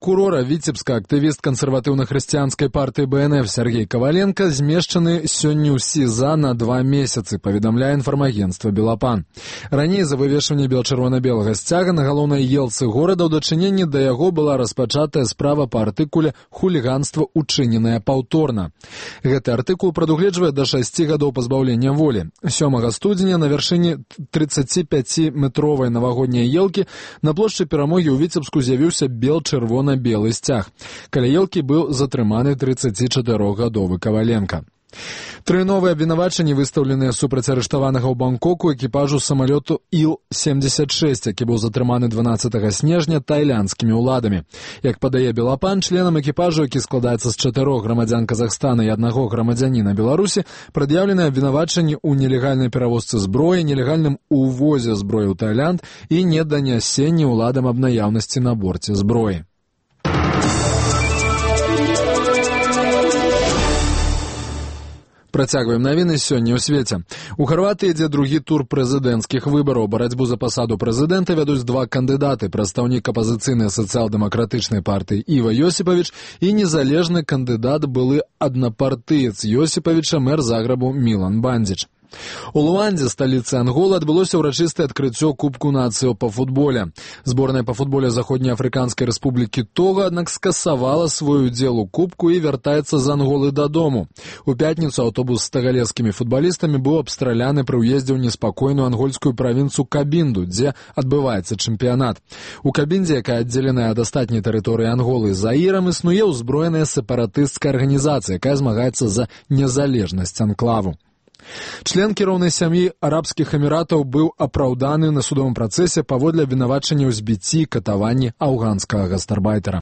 прокурора Віцебска, актывіст кансерватыўна-хрысціянскай партыі БНФ Сергей Коваленко змешчаны сёння ў СІЗА на 2 месяцы, паведамляе інфармагенцтва «Белапан». Раней за вывешванне бел-чырвона-белага сцяга на галоўнай елцы горада ў дачыненні да яго была распачатая справа па артыкуле «Хуліганства, учыненае паўторна». Гэты артыкул прадугледжвае да 6 гадоў пазбаўлення волі. 7 студзеня на вяршыні 35-метровай навагодняй елкі на плошчы Перамогі ў Віцебску з'явіўся бел-чырвона-белы сцяг. Каля елкі быў затрыманы 34-гадовы Коваленко. 3 новыя абвінавачанні выстаўленыя супраць арыштаванага ў Бангкоку экіпажу самалёту Ил-76, які быў затрыманы 12 снежня тайландскімі ўладамі. Як падае Белапан, членам экіпажу, які складаецца з 4 грамадзян Казахстана і 1 грамадзяніна Беларусі, прад'яўлены абвінавачанні ў нелегальнай перавозцы зброі, нелегальным увозе зброі ў Тайланд і неданясенні ўладам аб наяўнасці на борце зброі. Працягваем навіны сёння ў свеце. У Харватыі ідзе другі тур прэзідэнцкіх выбараў. Барацьбу за пасаду прэзідэнта вядуць 2 кандыдаты: прадстаўнік апазіцыйнай сацыял-дэмакратычнай партыі Іва Йосіпавіч і незалежны кандыдат, былы аднапартыец Йосіпавіча, мэр Загребу Мілан Бандзіч. У Луандзе, сталіцы Анголы, адбылося ўрачыстае адкрыццё Кубку нацыяў па футболе. Зборная па футболе Заходнеафрыканскай рэспублікі Тога, аднак, скасавала свой удзел у кубку і вяртаецца з Анголы дадому. У пятніцу аўтобус з тагалескімі футбалістамі быў абстраляны пры ўездзе ў неспакойную ангольскую правінцыю Кабінду, дзе адбываецца чэмпіянат. У Кабіндзе, якая аддзеленая ад астатняй тэрыторыі Анголы Заірам, існуе ўзброеная сепаратысцкая арганізацыя, якая змагаецца за незалежнасць анклаву. Член кіроўнай сям'і Арабскіх Эміратаў быў апраўданы на судовым працэсе паводле абвінавачання ў збіцці і катаванні афганскага гастарбайтера.